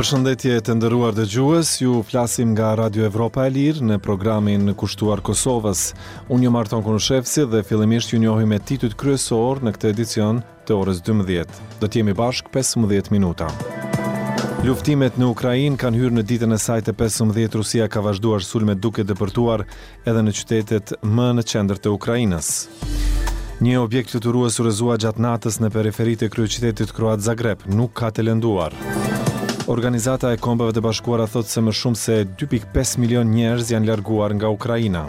Përshëndetje të nderuar dëgjues, ju flasim nga Radio Evropa e Lirë në programin kushtuar Kosovës. Unë jam Arton Konushevci dhe fillimisht ju njohim me titujt kryesorë në këtë edicion të orës 12. Do të jemi bashkë 15 minuta. Luftimet në Ukrainë kanë hyrë në ditën e saj të 15, Rusia ka vazhduar sulmet duke depërtuar edhe në qytetet më në qendër të Ukrainës. Një objekt fluturues u rrëzua gjatë natës në periferi të kryeqytetit kroat Zagreb, nuk ka të lënduar. Organizata e Kombeve të Bashkuara thotë se më shumë se 2.5 milion njerëz janë larguar nga Ukraina.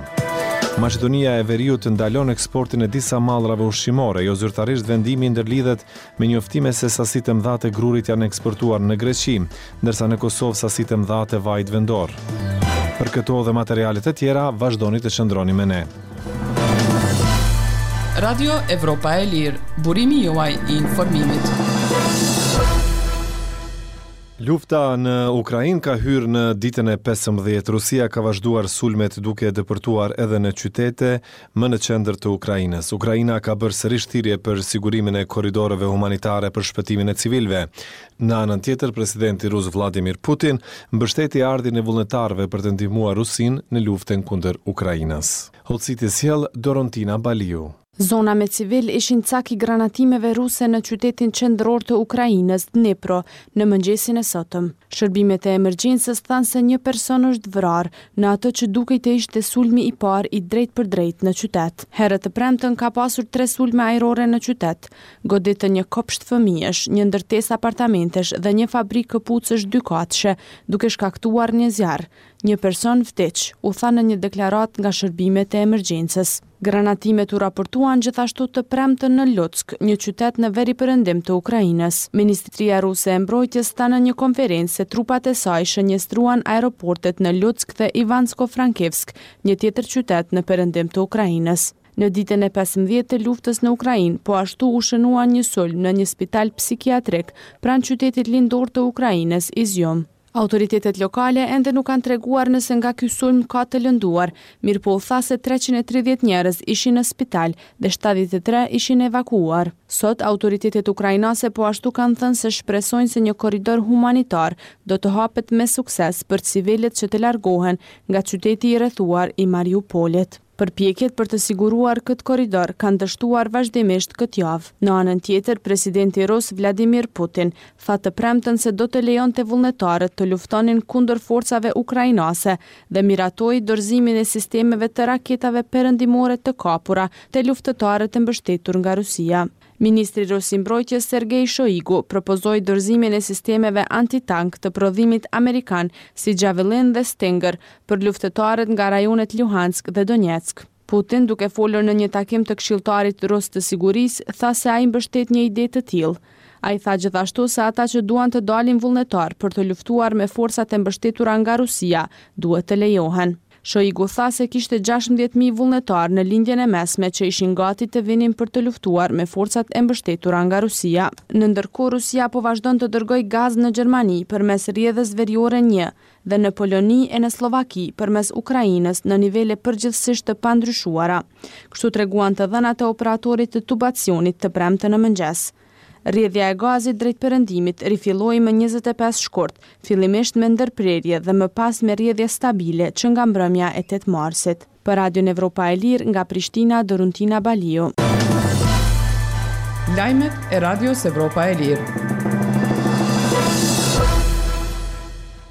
Maqedonia e Veriut ndalon eksportin e disa mallrave ushqimore, jo zyrtarisht vendimi ndërlidhet me njoftime se sasi të mëdha të grurit janë eksportuar në Greqi, ndërsa në Kosovë sasi të mëdha të vajit vendor. Për këto dhe materiale të tjera, vazhdoni të qëndroni me ne. Radio Evropa e Lirë, burimi juaj i informimit. Lufta në Ukrainë ka hyrë në ditën e 15. Rusia ka vazhduar sulmet duke depërtuar edhe në qytete më në qendër të Ukrainës. Ukraina ka bërë sërish thirrje për sigurimin e korridoreve humanitare për shpëtimin e civilëve. Në anën tjetër, presidenti rus Vladimir Putin mbështeti ardhjen e vullnetarëve për të ndihmuar Rusinë në luftën kundër Ukrainës. Hollësitë i sjell Dorontina Baliu. Zona me civilë ishin cak i granatimeve ruse në qytetin qendror të Ukrainës, Dnipro, në mëngjesin e sotëm. Shërbimet e emergjencës thanë se një person është vrarë në atë që dukej të ishte sulmi i parë i drejtpërdrejtë në qytet. Herët të premten ka pasur tre sulme ajrore në qytet. Goditën një kopsht fëmijësh, një ndërtesë apartamentesh dhe një fabrikë këpucësh dykatëshe, duke shkaktuar një zjarr. Një person vdiq, u tha në një deklaratë nga shërbimet e emergjencës. Granatimet u raportuan gjithashtu të premten në Lutsk, një qytet në veriperëndim të Ukrainës. Ministria ruse e Mbrojtjes tha në një konferencë se trupat e saj shënjestruan aeroportet në Lutsk dhe Ivansko-Frankivsk, një tjetër qytet në perëndim të Ukrainës. Në ditën e 15 të luftës në Ukrainë, po ashtu u shënua një sulm në një spital psikiatrik pranë qytetit lindor të Ukrainës, Izium. Autoritetet lokale ende nuk kanë treguar nëse nga ky sulm ka të lënduar, mirëpo u tha se 330 njerëz ishin në spital dhe 73 ishin evakuuar. Sot, autoritetet ukrainase po ashtu kanë thënë se shpresojnë se një korridor humanitar do të hapet me sukses për civilët që të largohen nga qyteti i rrethuar i Mariupolit. Përpjekjet për të siguruar këtë korridor kanë dështuar vazhdimisht këtë javë. Në anën tjetër, presidenti rus Vladimir Putin tha të premten se do të lejonte vullnetarët të luftonin kundër forcave ukrainase dhe miratoi dorëzimin e sistemeve të raketave perëndimore të kapura te luftëtarët e mbështetur nga Rusia. Ministri rus i Mbrojtjes Sergei Shoigu propozoi dorëzimin e sistemeve antitank të prodhimit amerikan si Javelin dhe Stinger për luftëtarët nga rajonet Luhansk dhe Donetsk. Putin, duke folur në një takim të këshilltarit rus të sigurisë, tha se ai mbështet një ide të tillë. Ai tha gjithashtu se ata që duan të dalin vullnetar për të luftuar me forcat e mbështetura nga Rusia, duhet të lejohen. Shoigu tha se kishte 16.000 vullnetarë në lindjen e mesme që ishin gati të vinin për të luftuar me forcat e mbështetura nga Rusia. Në ndërkohë, Rusia po vazhdon të dërgojë gaz në Gjermani përmes rrjedhës veriore 1 dhe në Poloni e në Sllovaki përmes Ukrainës në nivele përgjithësisht të pandryshuara. Kështu treguan të dhënat e operatorit të tubacionit të premten në mëngjes. Rrjedhja e gazit drejt perëndimit rifilloi më 25 shkurt, fillimisht me ndërprerje dhe më pas me rrjedhje stabile që nga mbrëmja e 8 marsit. Për Radion Evropa e Lirë nga Prishtina, Doruntina Baliu. Lajmet e Radios Evropa e Lirë.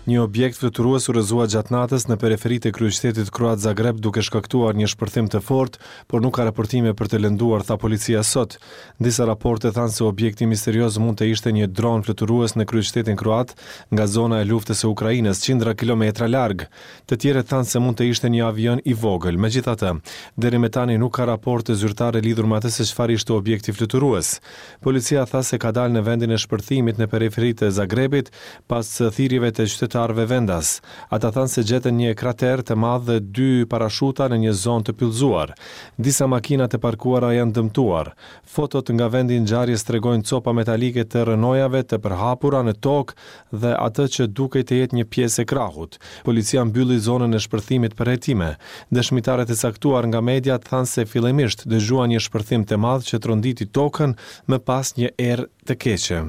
Një objekt fluturues u rrëzua gjatë natës në periferi të kryeqytetit kroat Zagreb duke shkaktuar një shpërthim të fortë, por nuk ka raportime për të lënduar, tha policia sot. Disa raporte thanë se objekti misterioz mund të ishte një dron fluturues në kryeqytetin kroat nga zona e luftës së Ukrainës, qindra kilometra larg. Të tjerët thanë se mund të ishte një avion i vogël. Megjithatë, deri më tani nuk ka raporte zyrtare lidhur me atë se çfarë ishte objekti fluturues. Policia tha se ka dalë në vendin e shpërthimit në periferi të Zagrebit pas thirrjeve të qytetarëve vendas. Ata thanë se gjetën një krater të madh dhe dy parashuta në një zonë të pyllëzuar. Disa makina të parkuara janë dëmtuar. Fotot nga vendi i ngjarjes tregojnë copa metalike të rrënojave të përhapura në tokë dhe atë që dukej të jetë një pjesë e krahut. Policia mbylli zonën e shpërthimit për hetime. Dëshmitarët e caktuar nga mediat thanë se fillimisht dëgjuan një shpërthim të madh që tronditi tokën, më pas një erë të keqe.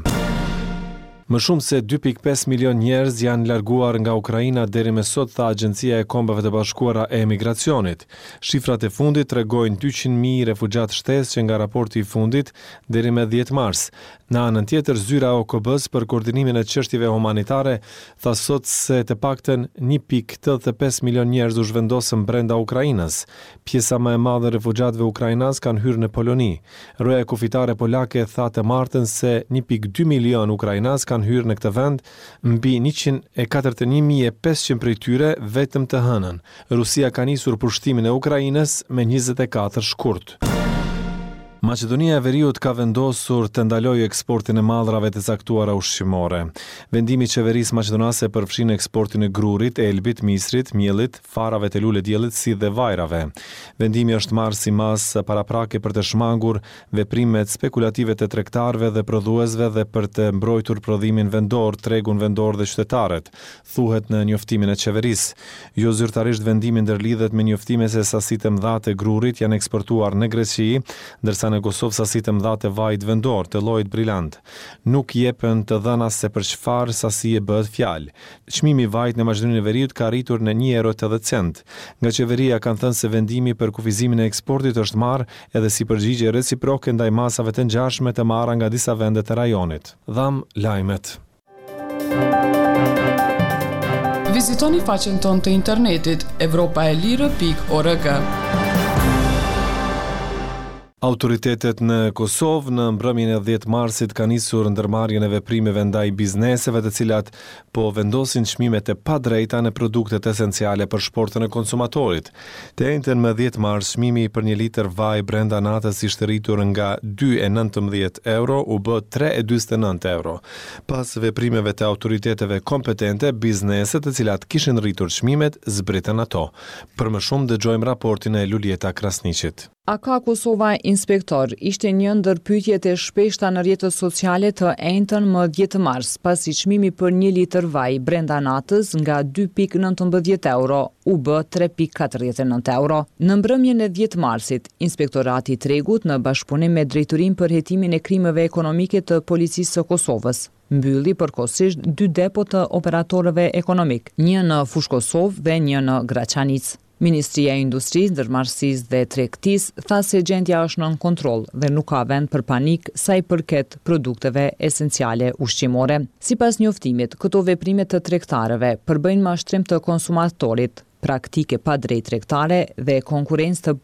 Më shumë se 2.5 milionë njerëz janë larguar nga Ukraina deri me sot, tha Agjencia e Kombeve të Bashkuara e Emigracionit. Shifrat e fundit tregojnë 200.000 refugjatë shtesë që nga raporti i fundit deri me 10 mars. Në anën tjetër, zyra e OKB-së për koordinimin e çështjeve humanitare tha sot se të paktën 1.85 milionë njerëz u zhvendosën brenda Ukrainës. Pjesa më e madhe e refugjatëve ukrainas kanë hyrë në Poloni. Roja kufitare polake tha të martën se 1.2 milionë ukrainas kanë hyrë në këtë vend, mbi 141.500 prej tyre vetëm të hënën. Rusia ka nisur pushtimin e Ukrainës me 24 shkurt. Maqedonia e Veriut ka vendosur të ndalojë eksportin e mallrave të caktuara ushqimore. Vendimi i qeverisë maqedonase përfshin eksportin e grurit, elbit, misrit, miellit, farave të lulediellit si dhe vajrave. Vendimi është marrë si masë paraprake për të shmangur veprimet spekulative të tregtarëve dhe prodhuesve dhe për të mbrojtur prodhimin vendor, tregun vendor dhe qytetarët. Thuhet në njoftimin e qeverisë. Jo zyrtarisht vendimi ndërlidhet me njoftime se sasi të mëdha të grurit janë eksportuar në Greqi, ndërsa në Kosovë sasi të mëdha të vajit vendor, të llojit brilant. Nuk jepen të dhëna se për çfarë sasie bëhet fjalë. Çmimi i vajit në Maqedoninë e Veriut ka arritur në një euro e 80 cent. Nga qeveria kanë thënë se vendimi për kufizimin e eksportit është marrë edhe si përgjigje reciproke ndaj masave të ngjashme të marra nga disa vende të rajonit. Dhamë lajmet. Vizitoni faqen tonë të internetit evropaelire.org. Autoritetet në Kosovë në mbrëmjen e 10 marsit kanë nisur ndërmarrjen e veprimeve ndaj bizneseve të cilat po vendosin çmime të padrejta në produktet esenciale për shportën e konsumatorit. Të enjten më 10 mars, çmimi për një litër vaj brenda natës ishte rritur nga 2.19 euro u bë 3.49 euro. Pas veprimeve të autoriteteve kompetente, bizneset të cilat kishin rritur çmimet zbritën ato. Për më shumë dëgjojmë raportin e Luljeta Krasniqit. A ka Kosova inspektor, ishte një ndër pyetjet e shpeshta në rrjetet sociale të enjten më 10 mars, pasi çmimi për një litër vaj brenda natës nga 2.19 euro u bë 3.49 euro. Në mbrëmjen e 10 marsit, Inspektorati i Tregut në bashkëpunim me Drejtorinë për Hetimin e Krimeve Ekonomike të Policisë së Kosovës, mbylli përkohësisht dy depo të operatorëve ekonomik, një në Fushë Kosovë dhe një në Graçanicë. Ministria e Industrisë, Ndërmarrësisë dhe Tregtisë tha se gjendja është nën kontroll dhe nuk ka vend për panik sa i përket produkteve esenciale ushqimore. Sipas njoftimit, këto veprime të tregtarëve përbëjnë mashtrim të konsumatorit, praktikë e padrejtë tregtare dhe konkurrencë të.